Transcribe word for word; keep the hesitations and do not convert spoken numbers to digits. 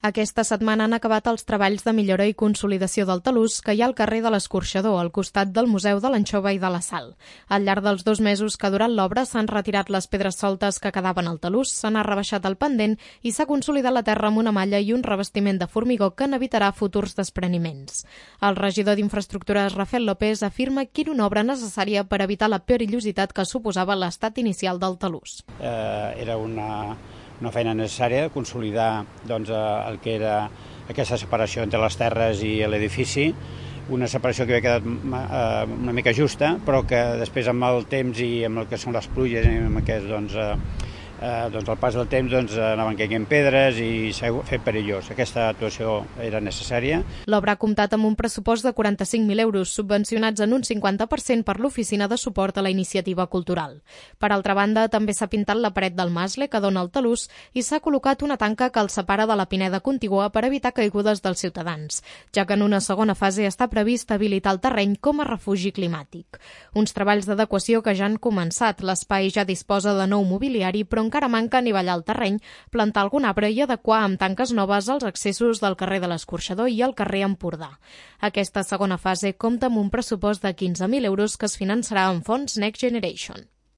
Aquesta setmana han acabat els treballs de millora i consolidació del talús que hi ha al carrer de l'Escorxador, al costat del Museu de l'Anxova i de la Sal. Al llarg dels dos mesos que ha durat l'obra s'han retirat les pedres soltes que quedaven al talús, se n'ha rebaixat el pendent i s'ha consolidat la terra amb una malla i un revestiment de formigó que n'evitarà futurs despreniments. El regidor d'Infraestructures, Rafael López, afirma que era una obra necessària per evitar la perillositat que suposava l'estat inicial del talús. Eh, era una... una feina necessària, consolidar doncs, el que era aquesta separació entre les terres i l'edifici, una separació que havia quedat una mica justa, però que després amb el temps i amb el que són les pluges i amb aquest, doncs, eh, doncs el pas del temps doncs, anaven caient pedres i s'ha fet perillós. Aquesta actuació era necessària. L'obra ha comptat amb un pressupost de quaranta-cinc mil euros, subvencionats en un cinquanta per cent per l'Oficina de Suport a la Iniciativa Cultural. Per altra banda, també s'ha pintat la paret del mascle que dona al talús i s'ha col·locat una tanca que el separa de la pineda contigua per evitar caigudes dels ciutadans, ja que en una segona fase està previst habilitar el terreny com a refugi climàtic. Uns treballs d'adequació que ja han començat. L'espai ja disposa de nou mobiliari, però encara manca anivellar el terreny, plantar algun arbre i adequar amb tanques noves els accessos del carrer de l'Escorxador i el carrer Empordà. Aquesta segona fase compta amb un pressupost de quinze mil euros que es finançarà amb fons Next Generation.